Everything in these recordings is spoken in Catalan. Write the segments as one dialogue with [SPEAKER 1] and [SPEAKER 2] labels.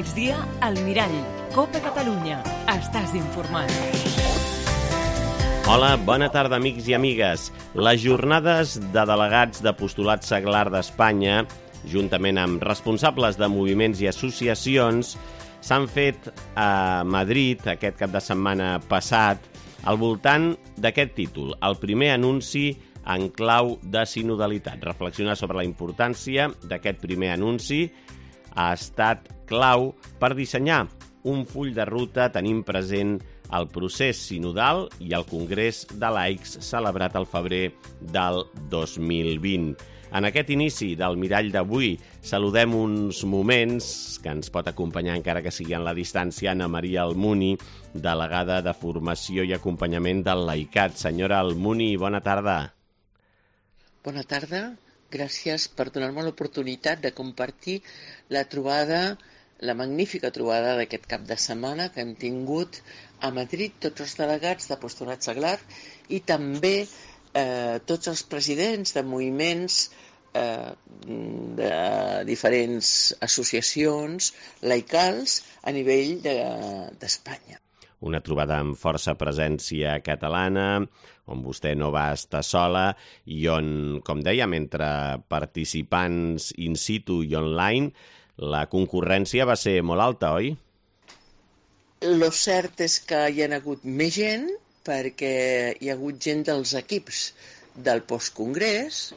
[SPEAKER 1] migdia, al Mirall. Copa Catalunya. Estàs informat.
[SPEAKER 2] Hola, bona tarda, amics i amigues. Les jornades de delegats d'Apostolat Seglar d'Espanya, juntament amb responsables de moviments i associacions, s'han fet a Madrid aquest cap de setmana passat al voltant d'aquest títol, el primer anunci en clau de sinodalitat. Reflexionar sobre la importància d'aquest primer anunci ha estat clau per dissenyar un full de ruta tenint present el procés sinodal i el Congrés de Laics celebrat al febrer del 2020. En aquest inici del Mirall d'avui saludem uns moments que ens pot acompanyar, encara que sigui en la distància, Anna Maria Almuni, delegada de Formació i Acompanyament del Laicat. Senyora Almuni, bona tarda.
[SPEAKER 3] Bona tarda. Gràcies per donar-me l'oportunitat de compartir la magnífica trobada d'aquest cap de setmana que hem tingut a Madrid tots els delegats d'Apostolat Seglar i també tots els presidents de moviments de diferents associacions laicals a nivell d'Espanya.
[SPEAKER 2] Una trobada amb força presència catalana, on vostè no va estar sola i on, com dèiem, entre participants in situ i online, la concurrència va ser molt alta, oi?
[SPEAKER 3] Lo cert és que hi ha hagut més gent perquè hi ha hagut gent dels equips del postcongrés.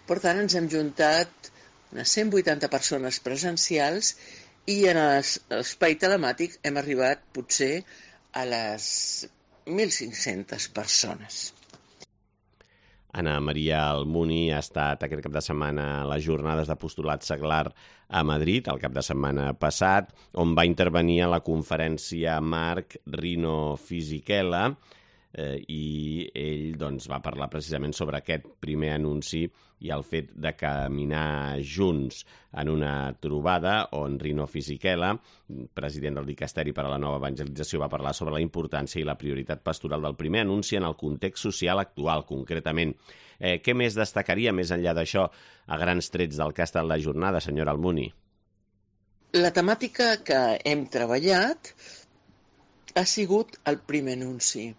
[SPEAKER 3] Per tant, ens hem juntat unes 180 persones presencials i en l'espai telemàtic hem arribat potser a les 1.500 persones.
[SPEAKER 2] Anna Maria Almuni ha estat aquest cap de setmana a les jornades d'Apostolat Seglar a Madrid, el cap de setmana passat, on va intervenir a la conferència Marc Rino Fisichella, i ell va parlar precisament sobre aquest primer anunci i el fet de caminar junts en una trobada on Rino Fisichella, president del Dicasteri per a la Nova Evangelització, va parlar sobre la importància i la prioritat pastoral del primer anunci en el context social actual, concretament. Què més destacaria, més enllà d'això, a grans trets del que ha estat la jornada, senyora Almuni?
[SPEAKER 3] La temàtica que hem treballat ha sigut el primer anunci.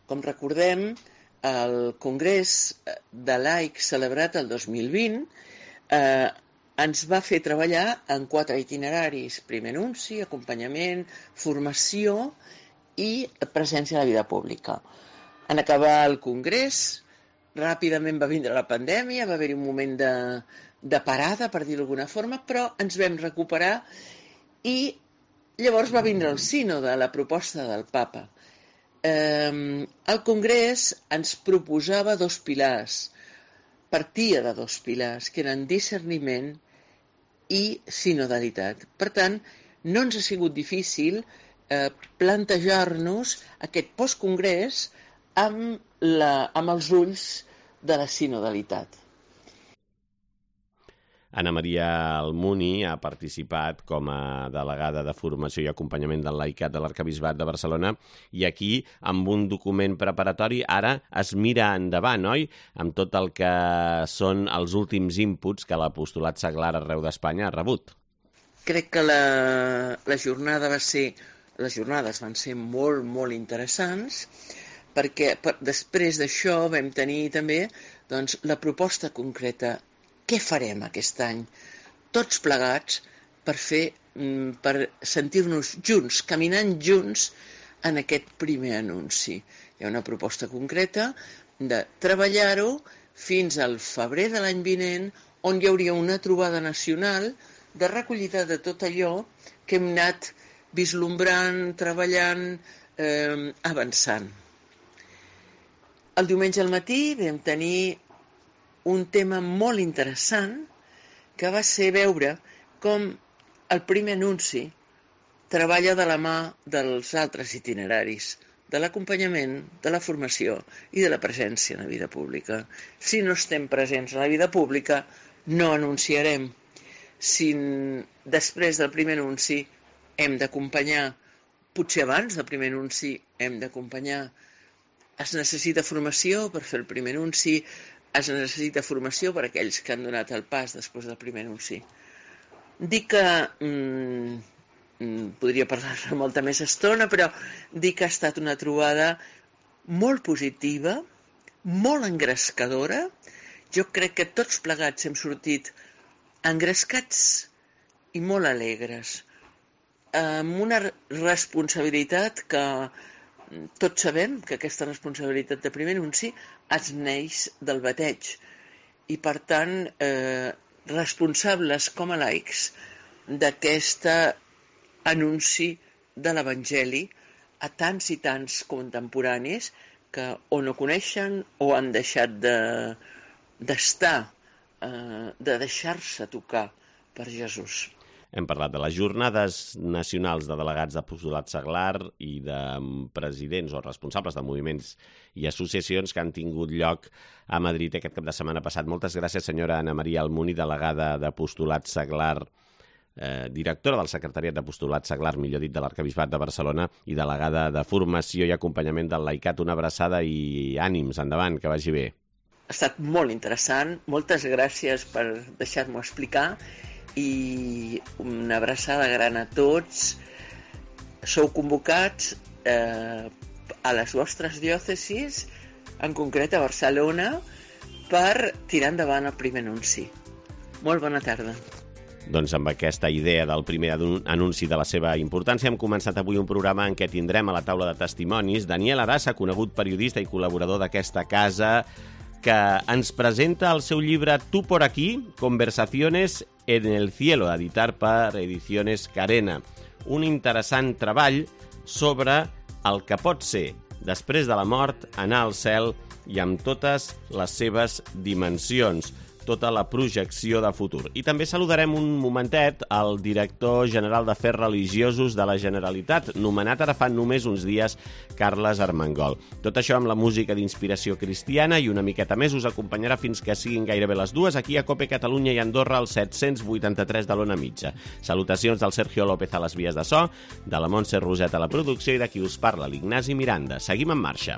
[SPEAKER 3] Com recordem, el Congrés de Laics celebrat el 2020 ens va fer treballar en 4 itineraris: primer anunci, acompanyament, formació i presència a la vida pública. En acabar el Congrés, ràpidament va vindre la pandèmia, va haver-hi un moment de parada, per dir-ho d'alguna forma, però ens vam recuperar i llavors va vindre el sínode, la proposta del Papa. El Congrés ens proposava 2 pilars, partia de 2 pilars, que eren discerniment i sinodalitat. Per tant, no ens ha sigut difícil plantejar-nos aquest postcongrés amb els ulls de la sinodalitat.
[SPEAKER 2] Anna Maria Almuni ha participat com a delegada de Formació i Acompanyament del Laicat de l'Arquebisbat de Barcelona i aquí, amb un document preparatori, ara es mira endavant, oi?, amb tot el que són els últims inputs que l'Apostolat Seglar arreu d'Espanya ha rebut.
[SPEAKER 3] Crec que les jornades van ser molt, molt interessants perquè després d'això vam tenir també la proposta concreta. Què farem aquest any, tots plegats, per sentir-nos junts, caminant junts en aquest primer anunci? Hi ha una proposta concreta de treballar-ho fins al febrer de l'any vinent, on hi hauria una trobada nacional de recollida de tot allò que hem anat vislumbrant, treballant, avançant. El diumenge al matí vam tenir un tema molt interessant que va ser veure com el primer anunci treballa de la mà dels altres itineraris, de l'acompanyament, de la formació i de la presència en la vida pública. Si no estem presents en la vida pública, no anunciarem. Si després del primer anunci hem d'acompanyar, potser abans del primer anunci hem d'acompanyar, es necessita formació per fer el primer anunci, es necessita formació per a aquells que han donat el pas després del primer anunci. Dic que podria parlar molta més estona, però dic que ha estat una trobada molt positiva, molt engrescadora. Jo crec que tots plegats hem sortit engrescats i molt alegres, amb una responsabilitat que tots sabem que aquesta responsabilitat de primer anunci es neix del bateig i, per tant, responsables com a laics d'aquest anunci de l'Evangeli a tants i tants contemporanis que o no coneixen o han deixat d'estar, de deixar-se tocar per Jesús.
[SPEAKER 2] Hem parlat de les jornades nacionals de delegats d'apostolat seglar i de presidents o responsables de moviments i associacions que han tingut lloc a Madrid aquest cap de setmana passat. Moltes gràcies, senyora Ana Maria Almuni, delegada d'apostolat seglar, directora del Secretariat d'Apostolat Seglar, millor dit, de l'Arquebisbat de Barcelona, i delegada de Formació i Acompanyament del Laicat. Una abraçada i ànims, endavant, que vagi bé.
[SPEAKER 3] Ha estat molt interessant, moltes gràcies per deixar-m'ho explicar i una abraçada gran a tots. Sou convocats a les vostres diòcesis, en concret a Barcelona, per tirar endavant el primer anunci. Molt bona tarda.
[SPEAKER 2] Doncs amb aquesta idea del primer anunci de la seva importància hem començat avui un programa en què tindrem a la taula de testimonis Daniel Arasa, conegut periodista i col·laborador d'aquesta casa, que ens presenta el seu llibre Tu por aquí, Conversaciones en el cielo, editat per Ediciones Carena. Un interessant treball sobre el que pot ser, després de la mort, anar al cel i amb totes les seves dimensions, tota la projecció de futur. I també saludarem un momentet al director general d'Afers Religiosos de la Generalitat, nomenat ara fa només uns dies, Carles Armengol. Tot això amb la música d'inspiració cristiana i una miqueta més us acompanyarà fins que siguin gairebé les 2 aquí a COPE Catalunya i Andorra al 783 de l'Ona Mitja. Salutacions del Sergio López a les vies de so, de la Montse Roset a la producció i de qui us parla, l'Ignasi Miranda. Seguim en marxa.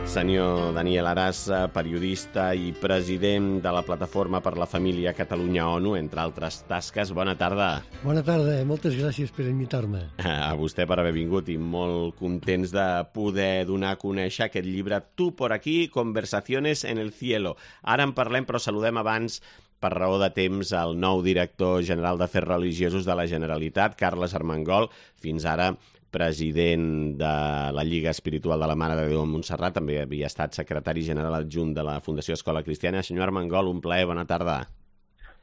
[SPEAKER 2] Senyor Daniel Arasa, periodista i president de la Plataforma per la Família Catalunya-ONU, entre altres tasques. Bona tarda.
[SPEAKER 4] Bona tarda, moltes gràcies per invitar-me.
[SPEAKER 2] A vostè per haver vingut i molt contents de poder donar a conèixer aquest llibre Tu por aquí, Conversaciones en el cielo. Ara en parlem, però saludem abans, per raó de temps, el nou director general d'Afers Religiosos de la Generalitat, Carles Armengol, fins ara president de la Lliga Espiritual de la Mare de Déu a Montserrat, també havia estat secretari general adjunt de la Fundació Escola Cristiana. Senyor Armengol, un plaer, bona tarda.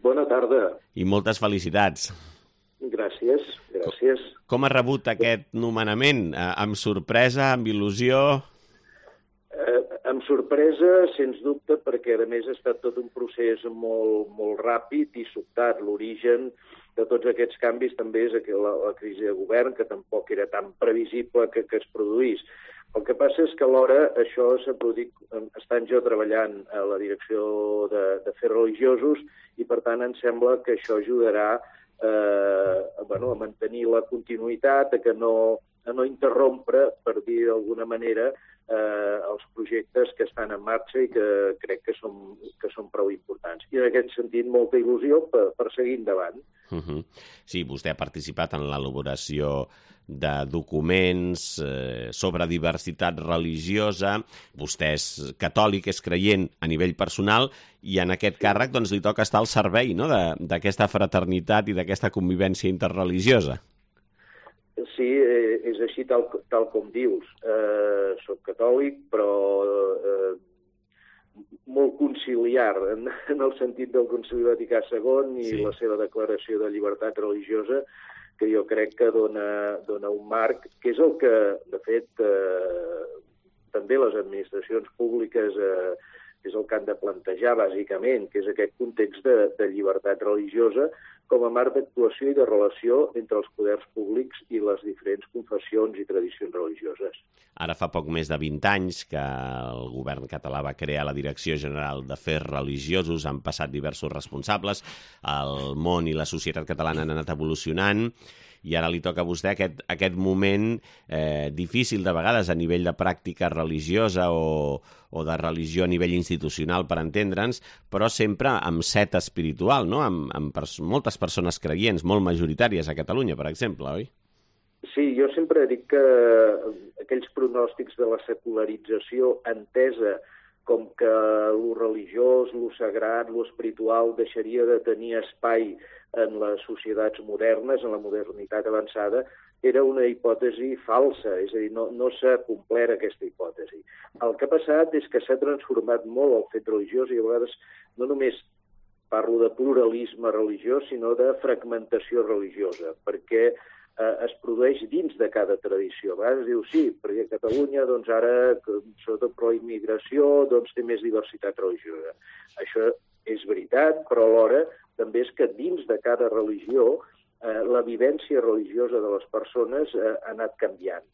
[SPEAKER 5] Bona tarda.
[SPEAKER 2] I moltes felicitats.
[SPEAKER 5] Gràcies, gràcies.
[SPEAKER 2] Com ha rebut aquest nomenament? Amb sorpresa, amb il·lusió?
[SPEAKER 5] Amb sorpresa, sens dubte, perquè a més ha estat tot un procés molt ràpid i sobtat. L'origen de tots aquests canvis també és la crisi de govern, que tampoc era tan previsible que es produís. El que passa és que alhora això s'ha produït estant jo treballant a la direcció d'Afers Religiosos i, per tant, em sembla que això ajudarà a mantenir la continuïtat, a no interrompre, per dir d'alguna manera, els projectes que estan en marxa i que crec que són prou importants. I en aquest sentit, molta il·lusió per seguir endavant.
[SPEAKER 2] Sí, vostè ha participat en l'elaboració de documents sobre diversitat religiosa. Vostè és catòlic, és creient a nivell personal i en aquest càrrec doncs, li toca estar al servei, no?, d'aquesta fraternitat i d'aquesta convivència interreligiosa.
[SPEAKER 5] Sí, és així tal com dius. Soc catòlic, però molt conciliar, en el sentit del Concili Vaticà II i la seva declaració de llibertat religiosa, que jo crec que dona un marc, que és el que, de fet, també les administracions públiques és el que han de plantejar, bàsicament, que és aquest context de llibertat religiosa com a marc d'actuació i de relació entre els poders públics i les diferents confessions i tradicions religioses.
[SPEAKER 2] Ara fa poc més de 20 anys que el govern català va crear la Direcció General d'Afers Religiosos, han passat diversos responsables, el món i la societat catalana han anat evolucionant i ara li toca a vostè aquest moment difícil de vegades a nivell de pràctica religiosa o de religió a nivell institucional, per entendre'ns, però sempre amb set espiritual, no? Amb moltes persones creients, molt majoritàries a Catalunya, per exemple, oi?
[SPEAKER 5] Sí, jo sempre dic que aquells pronòstics de la secularització entesa com que lo religiós, lo sagrat, lo espiritual deixaria de tenir espai en les societats modernes, en la modernitat avançada, era una hipòtesi falsa, és a dir, no s'ha complert aquesta hipòtesi. El que ha passat és que s'ha transformat molt el fet religiós i a vegades no només parlo de pluralisme religiós, sinó de fragmentació religiosa, perquè es produeix dins de cada tradició. A vegades diu, sí, perquè Catalunya, doncs ara, sobretot pro-immigració, doncs té més diversitat religiosa. Això és veritat, però alhora també és que dins de cada religió la vivència religiosa de les persones ha anat canviant.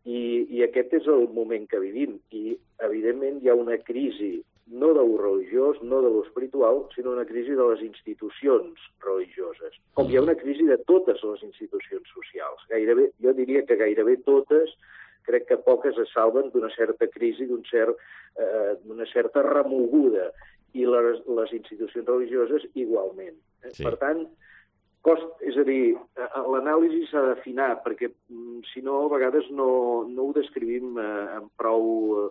[SPEAKER 5] I aquest és el moment que vivim. I, evidentment, hi ha una crisi no de lo religiós, no de lo espiritual, sinó una crisi de les institucions religioses. Com hi ha una crisi de totes les institucions socials. Jo diria que gairebé totes, crec que poques es salven d'una certa crisi, d'una certa remoguda, i les institucions religioses igualment. Sí. Per tant, és a dir, l'anàlisi s'ha d'afinar, perquè si no, a vegades no ho descrivim amb prou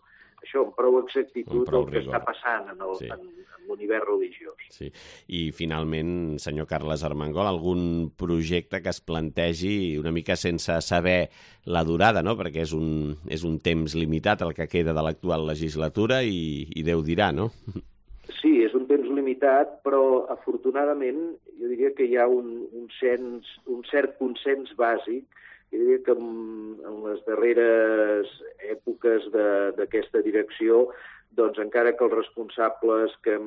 [SPEAKER 5] exactitud del que està passant en l'univers religiós.
[SPEAKER 2] Sí. I, finalment, senyor Carles Armengol, algun projecte que es plantegi una mica sense saber la durada, no? Perquè és un temps limitat el que queda de l'actual legislatura i Déu dirà, no?
[SPEAKER 5] Sí, és un temps limitat, però afortunadament jo diria que hi ha un cert consens bàsic. Jo diria que en les darreres èpoques d'aquesta direcció, doncs encara que els responsables que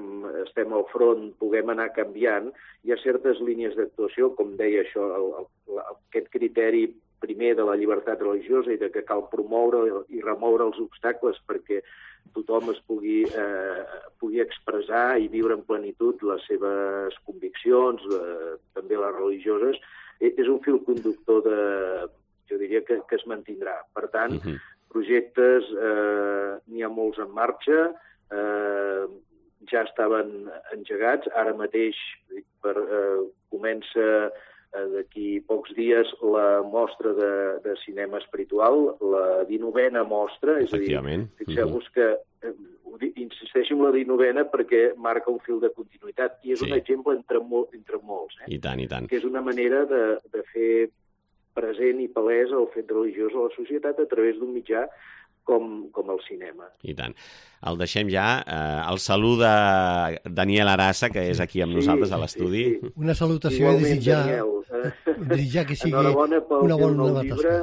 [SPEAKER 5] estem al front puguem anar canviant, hi ha certes línies d'actuació, com deia això, aquest criteri primer de la llibertat religiosa i de que cal promoure i remoure els obstacles perquè tothom es pugui expressar i viure en plenitud les seves conviccions, també les religioses, és un fil conductor jo diria que es mantindrà. Per tant, projectes n'hi ha molts en marxa, ja estaven engegats, ara mateix comença d'aquí pocs dies la mostra de cinema espiritual, la 19a mostra, és a dir, fixeu-vos que insisteixo en la 19a perquè marca un fil de continuïtat i és un exemple entre molts.
[SPEAKER 2] I tant, i tant.
[SPEAKER 5] Que és una manera de fer present i palès el fet religiós a la societat a través d'un mitjà com el cinema.
[SPEAKER 2] I tant. El deixem ja. El saluda Daniel Arassa, que és aquí amb nosaltres a l'estudi.
[SPEAKER 5] Sí.
[SPEAKER 4] Una salutació i desitjar que sigui una bona
[SPEAKER 5] tasca.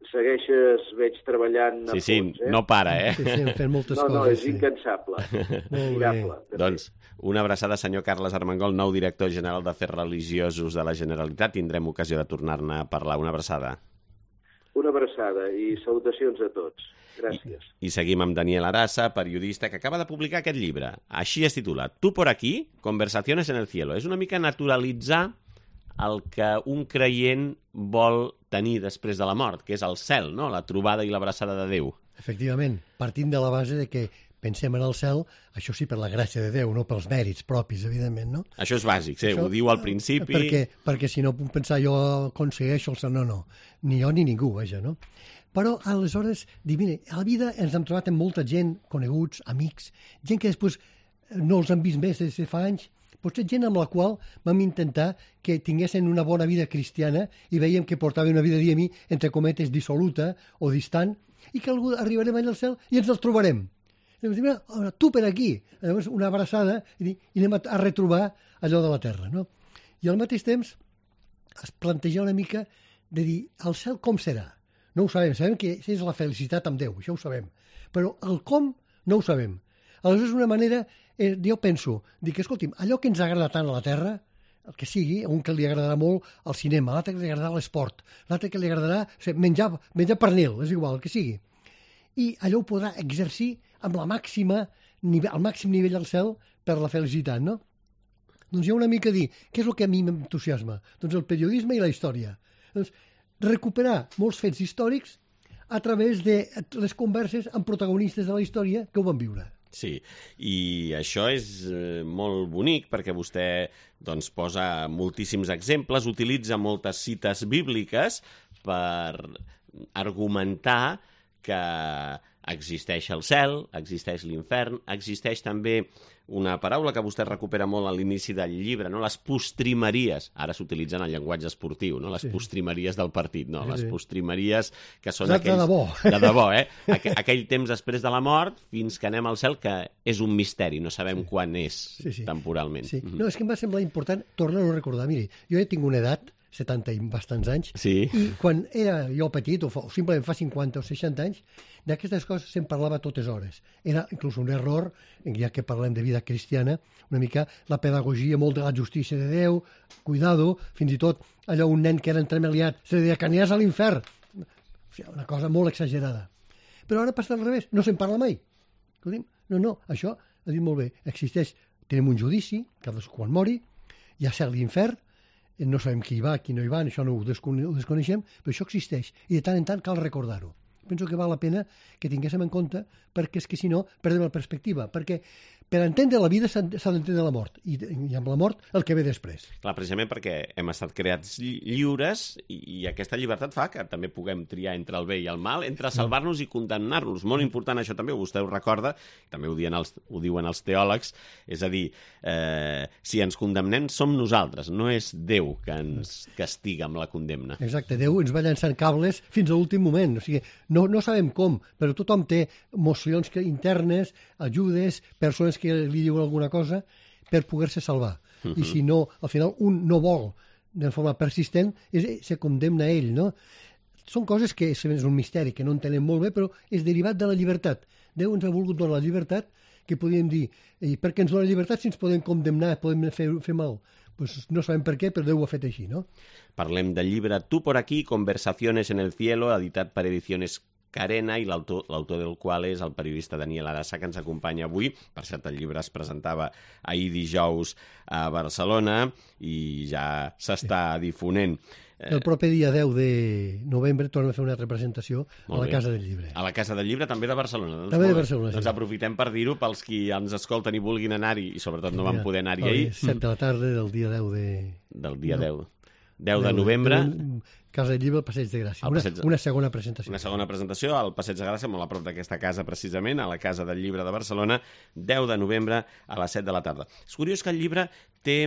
[SPEAKER 5] Segueixes, veig, treballant a fons.
[SPEAKER 2] No para,
[SPEAKER 4] Sí, fent moltes coses.
[SPEAKER 5] No, és incansable. Admirable.
[SPEAKER 2] Doncs una abraçada, senyor Carles Armengol, nou director general d'Afers Religiosos de la Generalitat. Tindrem ocasió de tornar-ne a parlar. Una abraçada.
[SPEAKER 5] Una abraçada i salutacions a tots. Gràcies.
[SPEAKER 2] I seguim amb Daniel Arassa, periodista, que acaba de publicar aquest llibre. Així es titula Tú por aquí, conversaciones en el cielo. És una mica naturalitzar el que un creient vol tenir després de la mort, que és el cel, no? La trobada i l'abraçada de Déu.
[SPEAKER 4] Efectivament, partint de la base de que pensem en el cel, això sí, per la gràcia de Déu, no pels mèrits propis, evidentment, no?
[SPEAKER 2] Això és bàsic, sí, ho diu al principi.
[SPEAKER 4] Perquè si no puc pensar jo aconsegueixo el cel, no, ni jo ni ningú, vaja, no? Però aleshores, mira, a la vida ens hem trobat amb molta gent, coneguts, amics, gent que després no els han vist més des de fa anys, potser gent amb la qual vam intentar que tinguessin una bona vida cristiana i veiem que portaven una vida, diguem-hi, entre cometes, dissoluta o distant, i que arribarem allà al cel i ens els trobarem. I dic, mira, tu per aquí. Llavors, una abraçada i anem a retrobar allò de la terra, no? I al mateix temps es planteja una mica de dir, el cel com serà? No ho sabem que és la felicitat amb Déu, això ho sabem, però el com no ho sabem. Aleshores, una manera, jo penso, dic, escolti'm, allò que ens agrada tant a la Terra, el que sigui, a un que li agradarà molt el cinema, a l'altre que li agradarà l'esport, l'altre que li agradarà menjar pernil, és igual, el que sigui. I allò ho podrà exercir amb el màxim nivell al cel per la felicitat, no? Doncs hi ha una mica dir, què és el que a mi m'entusiasma? Doncs el periodisme i la història. Doncs recuperar molts fets històrics a través de les converses amb protagonistes de la història que ho van viure.
[SPEAKER 2] Sí, i això és molt bonic perquè vostè doncs, posa moltíssims exemples, utilitza moltes cites bíbliques per argumentar que existeix el cel, existeix l'infern, existeix també una paraula que vostè recupera molt a l'inici del llibre, no? Les postrimeries. Ara s'utilitzen el llenguatge esportiu, no? Les postrimeries del partit, no? Les postrimeries que són aquells...
[SPEAKER 4] De debò.
[SPEAKER 2] De debò, aquell temps després de la mort fins que anem al cel, que és un misteri, no sabem quan és temporalment.
[SPEAKER 4] Sí. No, és que em va semblar important tornar-ho a recordar. Miri, jo ja tinc una edat, 70 i bastants anys, i quan era jo petit, o simplement fa 50 o 60 anys, d'aquestes coses se'n parlava a totes hores. Era inclús un error, ja que parlem de vida cristiana, una mica la pedagogia, molt de la justícia de Déu, cuidado, fins i tot allò un nen que era entremaliat, se li deia que aniràs a l'infern. O sigui, una cosa molt exagerada. Però ara passa al revés, no se'n parla mai. No, això ha dit molt bé, existeix, tenim un judici, cadascú quan mori, hi ha cel i infern, no sabem qui hi va, qui no hi va, això no ho desconeixem, però això existeix, i de tant en tant cal recordar-ho. Penso que val la pena que tinguéssim en compte, perquè és que si no perdem la perspectiva, perquè per entendre la vida s'ha d'entendre la mort, i amb la mort el que ve després.
[SPEAKER 2] Clar, precisament perquè hem estat creats lliures i aquesta llibertat fa que també puguem triar entre el bé i el mal, entre salvar-nos i condemnar-nos. Molt important això també, vostè ho recorda, també ho diuen els teòlegs, és a dir, si ens condemnem som nosaltres, no és Déu que ens castiga amb la condemna.
[SPEAKER 4] Exacte, Déu ens va llançant cables fins a l'últim moment, o sigui, no sabem com, però tothom té emocions internes, ajudes, persones que li diuen alguna cosa per poder-se salvar. I si no, al final un no vol de forma persistent, se condemna a ell, no? Són coses que és un misteri, que no entenem molt bé, però és derivat de la llibertat. Déu ens ha volgut donar la llibertat, que podríem dir, i per què ens dona la llibertat si ens podem condemnar, podem fer mal? Pues no sabem per què, però Déu ho ha fet així, no?
[SPEAKER 2] Parlem del llibre Tú por aquí, Conversaciones en el cielo, editat per Ediciones Carena, i l'autor del qual és el periodista Daniel Arassa, que ens acompanya avui. Per cert, el llibre es presentava ahir dijous a Barcelona i ja s'està difonent.
[SPEAKER 4] El proper dia 10 de novembre tornem a fer una altra presentació a la Casa del Llibre.
[SPEAKER 2] A la Casa del Llibre, també de Barcelona.
[SPEAKER 4] També de Barcelona,
[SPEAKER 2] Doncs aprofitem per dir-ho pels qui ens escolten i vulguin anar-hi, i sobretot no van poder anar-hi ahir.
[SPEAKER 4] 7 de la tarda del dia 10 de...
[SPEAKER 2] Del dia 10. 10 de novembre.
[SPEAKER 4] Casa del Llibre al Passeig de Gràcia. Una segona presentació.
[SPEAKER 2] Una segona presentació al Passeig de Gràcia, molt a prop d'aquesta casa precisament, a la Casa del Llibre de Barcelona, 10 de novembre a les 7 de la tarda. És curiós que el llibre té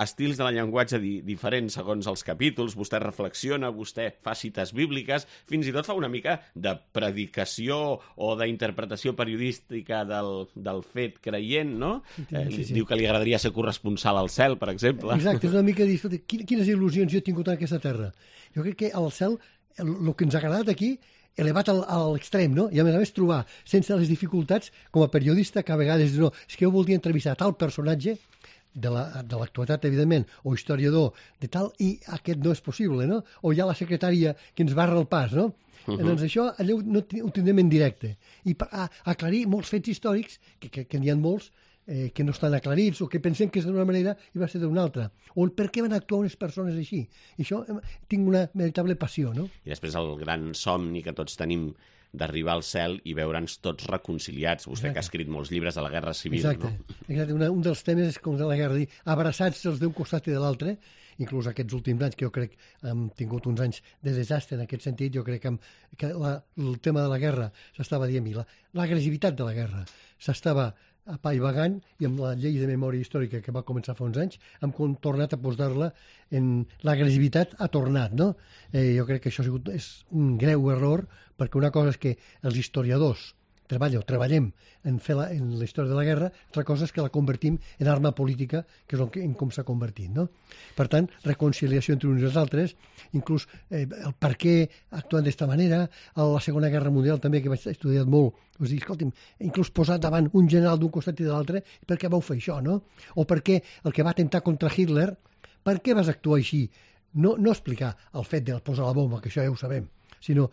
[SPEAKER 2] estils de la llenguatge diferents segons els capítols, vostè reflexiona, vostè fa cites bíbliques, fins i tot fa una mica de predicació o d'interpretació periodística del fet creient, no? Sí. Diu que li agradaria ser corresponsal al cel, per exemple.
[SPEAKER 4] Exacte, és una mica dir, quines il·lusions jo he tingut en aquesta terra. Jo crec que al cel, el que ens ha agradat aquí, elevat a l'extrem, no? I a més trobar, sense les dificultats, com a periodista, que a vegades no, és que jo voldria entrevistar tal personatge de l'actualitat, evidentment, o historiador de tal, i aquest no és possible, no? O hi ha la secretària que ens barra el pas, no? Doncs això, allò no ho tindrem en directe. I aclarir molts fets històrics, que n'hi ha molts, que no estan aclarits o que pensem que és d'una manera i va ser d'una altra. O el per què van actuar unes persones així. I això tinc una veritable passió, no?
[SPEAKER 2] I després el gran somni que tots tenim d'arribar al cel i veure'ns tots reconciliats. Vostè que ha escrit molts llibres de la Guerra Civil, no?
[SPEAKER 4] Exacte. Un dels temes és com de la guerra, dir, abraçats els d'un costat i de l'altre, inclús aquests últims anys, que jo crec hem tingut uns anys de desastre en aquest sentit, jo crec que el tema de la guerra s'estava dient, l'agressivitat de la guerra s'estava apaivagant, i amb la llei de memòria històrica que va començar fa uns anys hem tornat a posar-la en l'agressivitat ha tornat, no? Jo crec que això és un greu error, perquè una cosa és que els historiadors treballem en la història de la guerra, altra cosa és que la convertim en arma política, que és en com s'ha convertit, no? Per tant, reconciliació entre uns i els altres, inclús el per què actuen d'esta manera, a la Segona Guerra Mundial també, que vaig estudiar molt, us dic, escolti'm, inclús posar davant un general d'un costat i de l'altre, per què vau fer això, no? O per què el que va atemptar contra Hitler, per què vas actuar així? No explicar el fet de posar la bomba, que això ja ho sabem, sinó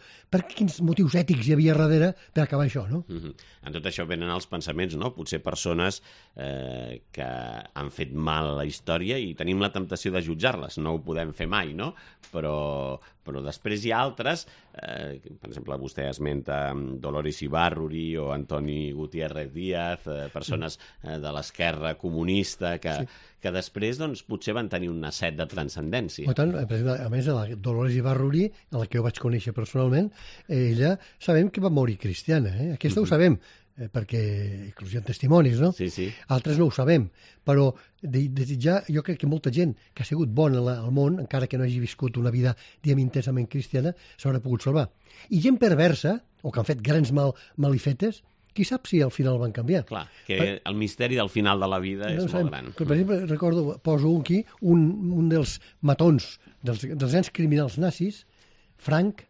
[SPEAKER 4] quins motius ètics hi havia darrere per acabar això, no?
[SPEAKER 2] En tot això venen els pensaments, no? Potser persones que han fet mal a la història i tenim la temptació de jutjar-les, no ho podem fer mai, no? Però després hi ha altres, per exemple, vostè esmenta Dolores Ibarruri o Antoni Gutiérrez Díaz, persones de l'esquerra comunista que després doncs, potser van tenir una set de transcendència.
[SPEAKER 4] Tant, a més, la Dolores Ibarruri, a la que jo vaig conèixer personalment, ella sabem que va morir cristiana, aquesta ho sabem, perquè inclús hi ha testimonis, no?
[SPEAKER 2] Sí.
[SPEAKER 4] Altres no ho sabem, però desitjar, jo crec que molta gent que ha sigut bona al món, encara que no hagi viscut una vida, diguem, intensament cristiana, s'haurà pogut salvar. I gent perversa, o que han fet grans malifetes, qui sap si al final van canviar.
[SPEAKER 2] Clar, que el misteri del final de la vida és molt gran.
[SPEAKER 4] Per exemple, recordo, poso aquí, un dels matons dels grans criminals nazis, Frank,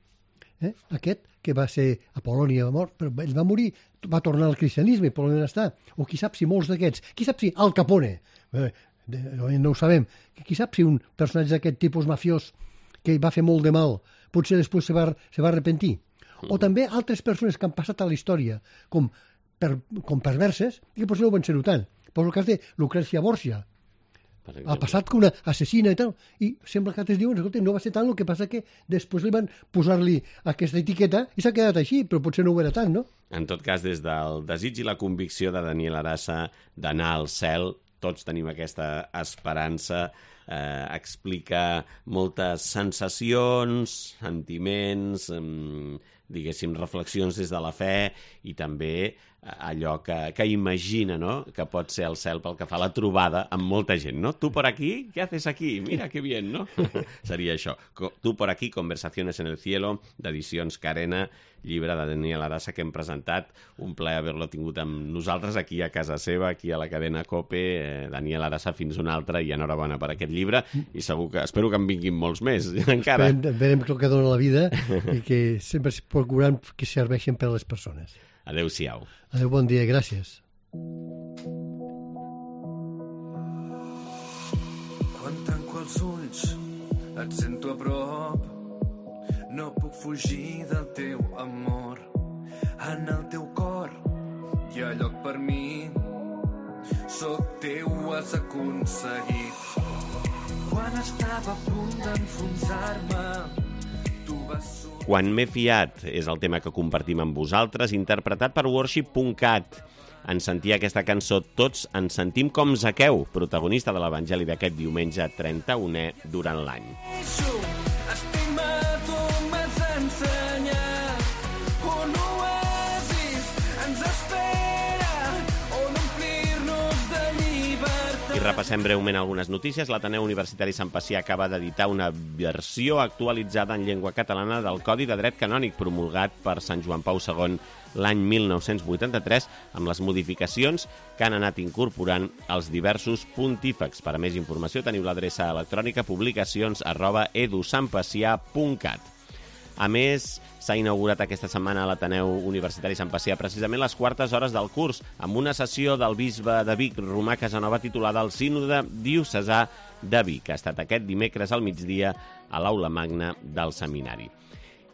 [SPEAKER 4] aquest, que va ser a Polònia mort, però ell va morir, va tornar al cristianisme, per on està. O qui sap si molts d'aquests, qui sap si Al Capone, no ho sabem, qui sap si un personatge d'aquest tipus mafiós que va fer molt de mal, potser després se va arrepentir. O també altres persones que han passat a la història com perverses i que potser no ho van ser-ho tant. Poso el cas de Lucrècia Borgia. Ha passat com una assassina i tal, i sembla que altres diuen, escolta, no va ser tant, el que passa que després li van posar-li aquesta etiqueta i s'ha quedat així, però potser no ho era tant, no?
[SPEAKER 2] En tot cas, des del desig i la convicció de Daniel Arasa d'anar al cel, tots tenim aquesta esperança, explica moltes sensacions, sentiments, diguéssim, reflexions des de la fe i també allò que imagina, no?, que pot ser el cel pel que fa a la trobada amb molta gent, no? Tu por aquí, ¿qué haces aquí? Mira que bien, no? Seria això. Tu por aquí, Conversaciones en el cielo, d'Edicions Carena, llibre de Daniel Arasa que hem presentat. Un plaer haver-lo tingut amb nosaltres aquí a casa seva, aquí a la cadena COPE. Daniel Arasa, fins una altra, i enhorabona per aquest llibre, i segur que espero que en vinguin molts més, encara.
[SPEAKER 4] Verem el que dona la vida i que sempre es procurem que serveixin per a les persones.
[SPEAKER 2] Adéu-siau.
[SPEAKER 4] Adéu, bon dia, gràcies.
[SPEAKER 6] Quan tanco els ulls et sento a prop, no puc fugir del teu amor. En el teu cor hi ha lloc per mi, sóc teu, has aconseguit. Quan estava a punt d'enfonsar-me, tu vas sortir.
[SPEAKER 2] Quan m'he fiat és el tema que compartim amb vosaltres, interpretat per Worship.cat. En sentir aquesta cançó tots ens sentim com Zaqueu, protagonista de l'Evangeli d'aquest diumenge 31è durant l'any.
[SPEAKER 6] Estima, tu m'has ensenyat un oasis ens espera, on omplir-nos de llibertat.
[SPEAKER 2] I repassem breument algunes notícies. L'Ateneu Universitari Sant Pacià acaba d'editar una versió actualitzada en llengua catalana del Codi de Dret Canònic promulgat per Sant Joan Pau II l'any 1983, amb les modificacions que han anat incorporant els diversos pontífex. Per a més informació teniu l'adreça electrònica publicacions@edusampacià.cat. A més, s'ha inaugurat aquesta setmana a l'Ateneu Universitari Sant Pacià precisament les quartes hores del curs, amb una sessió del bisbe de Vic, Romà Casanova, titulada El Sínode Diocesà de Vic, que ha estat aquest dimecres al migdia a l'Aula Magna del Seminari.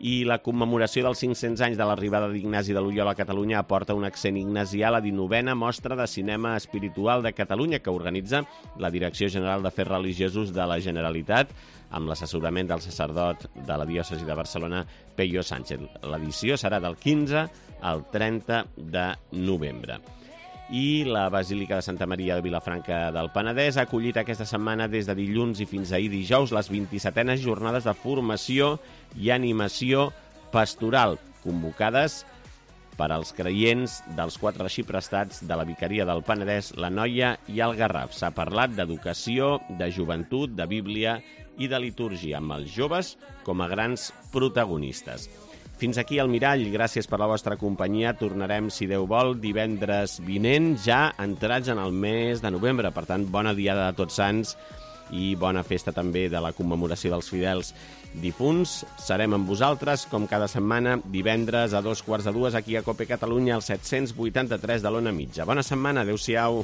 [SPEAKER 2] I la commemoració dels 500 anys de l'arribada d'Ignasi de Loyola a Catalunya aporta un accent ignasià a la 19a Mostra de Cinema Espiritual de Catalunya, que organitza la Direcció General d'Afers Religiosos de la Generalitat, amb l'assessorament del sacerdot de la diòcesi de Barcelona, Peyo Sánchez. L'edició serà del 15 al 30 de novembre. I la Basílica de Santa Maria de Vilafranca del Penedès ha acollit aquesta setmana des de dilluns i fins ahir dijous les 27enes jornades de formació i animació pastoral convocades per als creients dels 4 arxiprestats de la Vicaria del Penedès, l'Anoia i el Garraf. S'ha parlat d'educació, de joventut, de Bíblia i de litúrgia, amb els joves com a grans protagonistes. Fins aquí el Mirall, gràcies per la vostra companyia. Tornarem, si Déu vol, divendres vinent, ja entrats en el mes de novembre. Per tant, bona diada de Tots Sants i bona festa també de la commemoració dels fidels difunts. Serem amb vosaltres, com cada setmana, divendres a 2:15 aquí a COPE Catalunya, al 783 de l'Ona Mitja. Bona setmana, adéu-siau.